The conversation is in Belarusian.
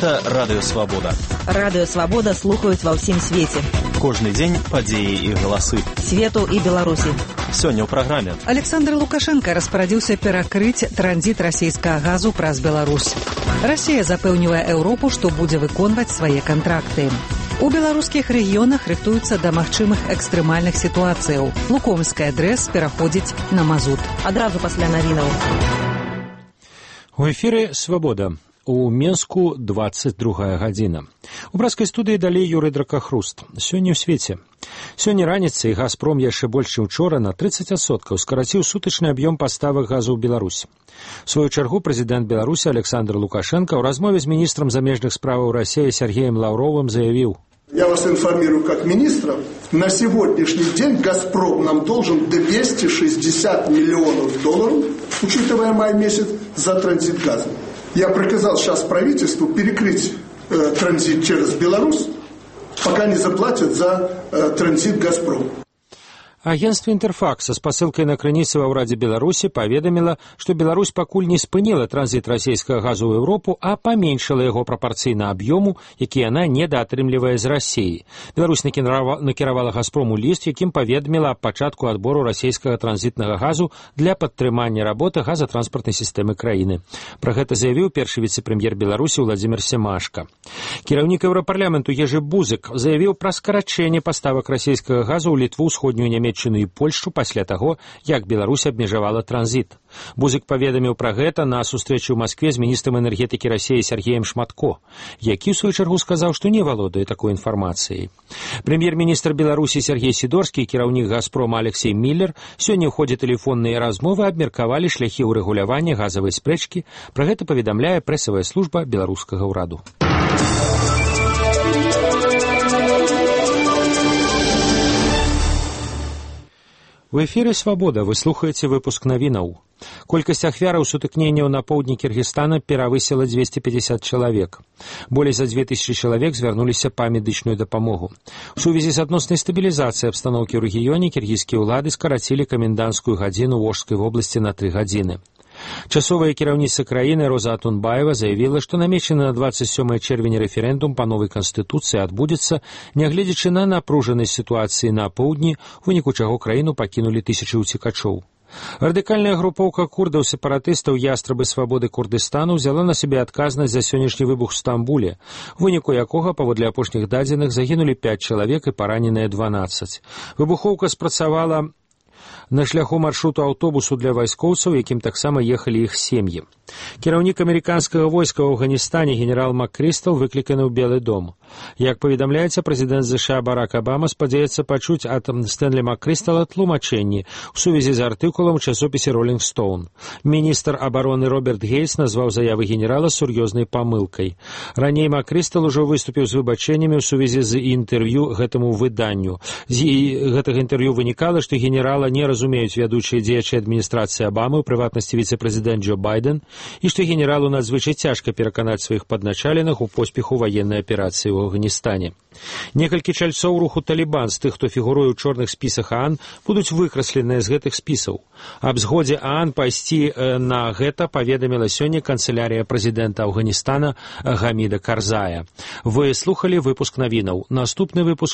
Гэта Радыё Свабода. Радыё Свабода слухаюць ва ўсім свеце. Кожны дзень падзеі і галасы. Свету і Беларусі. Сёння ў праграме. Александр Лукашенко распарадзіўся перакрыць транзіт расійскага газу праз Беларусь. Расія запэўнівае Еўропу, што будзе выконваць свае кантракты. У беларускіх рэгіёнах рыхтуюцца да магчымых экстрэмальных сітуацыяў. Лукомская ДРЭС пераходзіць на мазут. Адразу пасля навінаў. У эфіры «Свабода». У Менску 22 гадзіна. У брацкай студыі далей Юрый Дракахруст. Сёння ў свеце. Сёння раніцай «Газпром» яшчэ больш, чым учора на 30% скараціў сутачны аб'ём паставак газу ў Беларусь. У сваю чаргу прэзідэнт Беларусі Александр Лукашенко ў размове з міністрам замежных справаў России Сергеем Лавровым заявіў: Я вас информирую как министра. На сегодняшний день «Газпром» нам должен 260 миллионов долларов, учитывая май месяц, за транзит газа. Я приказал сейчас правительству перекрыть транзит через Беларусь, пока не заплатят за транзит «Газпром». Агентство «Интерфакс» со спасылкай на крыніцы ва ўрадзе Беларусі паведаміла, што Беларусь пакуль не спыніла транзіт расійскага газу ў Еўропу, а паменшыла яго прапарцыйна аб'ёму, які яна недаатрымлівае з Расіі. Беларусь накіравала «Газпрому» ліст, якім паведаміла аб пачатку адбору расійскага транзітнага газу для падтрымання работы газатранспартнай сістэмы краіны. Пра гэта заявіў першы віцэ-прэм'ер Беларусі Владзімір Семашка. Кіраўнік Еўрапарламенту Ежы Бузык заявіў пра скарачэнне паставак расійскага газу ў Літву, усходнюю Нямецкую і Польшу пасля таго, як Беларусь абмежавала транзіт. Бузык паведаміў пра гэта на сустрэчу ў Маскве з міністрам энергетыкі Расіі Сергеем Шматко, які ў сваю чаргу сказаў, што не валодае такой інфармацыяй. Прэм'ер-міністр Беларусі Сергей Сідорскі і кіраўнік «Газпрома» Алексей Міллер сёння ў ходзе тэлефонныя размовы абмеркавалі шляхі ўрэгулявання газавай спрэчкі. Пра гэта паведамляе прэсавая служба беларускага ўраду. У эфіры «Свабода» вы слухаеце выпуск навінаў. Колькасць ахвяраў сутыкненняў на поўдні Кіргізстана перавысіла 250 чалавек. Болей за 2000 чалавек звярнуліся па медычную дапамогу. У сувязі з адноснай стабілізацыяй абстаноўкі ў рэгіёне кіргізскія ўлады скарацілі каменданцкую гадзіну ў Ошскай вобласці на 3 гадзіны. Часовая кіраўніца краіны Роза Атунбаева заявіла, што намечаны на 27 чэрвеня рэферэндум па новай канстытуцыі адбудзецца, нягледзячы на напружанасць сітуацыі на поўдні, у выніку чаго краіну пакінулі тысячы ўцекачоў. Радыкальная групоўка курдаў-сепаратыстаў «Ястрабы свабоды Курдыстану» взяла на сябе адказнасць за сённяшні выбух у Стамбуле, у выніку якога, паводле апошніх дадзеных, загінулі 5 чалавек і параненыя 12. Выбухоўка спрацавала на шляху маршруту аўтобусу для вайскоўцаў, якім таксама ехалі іх сем'і. Кіраўнік амерыканскага войска ў Афганістане генерал МакКрыстал выкліканы ў Белы дом. Як паведамляецца, прэзідэнт США Барак Абама спадзяецца пачуць ад Стэнлі МакКрыстала тлумачэнні ў сувязі з артыкулам у часопісе «Ролінг Стоун». Міністр абароны Роберт Гейтс назваў заявы генерала сур'ёзнай памылкай. Раней МакКрыстал ужо выступіў з выбачэннямі ў сувязі з інтэрв'ю гэтаму выданню. З гэтага інтэрв'ю вынікала, што генерала не разумеюць вядучыя дзеячы адміністрацыі Абамы, у прыватнасці віцэ-прэзідэнт Джо Байден, і што генералу надзвычай цяжка пераканаць сваіх падначаленых у поспеху ваеннай аперацыі ў Афганістане. Некалькі чальцоў руху «Талібан» з тых, хто фігуруе ў чорных спісах ААН, будуць выкрасленыя з гэтых спісаў. Аб згодзе ААН пайсці на гэта паведаміла сёння канцылярыя прэзідэнта Афганістана Гаміда Карзая. Вы слухалі выпуск навінаў. Наступны выпуск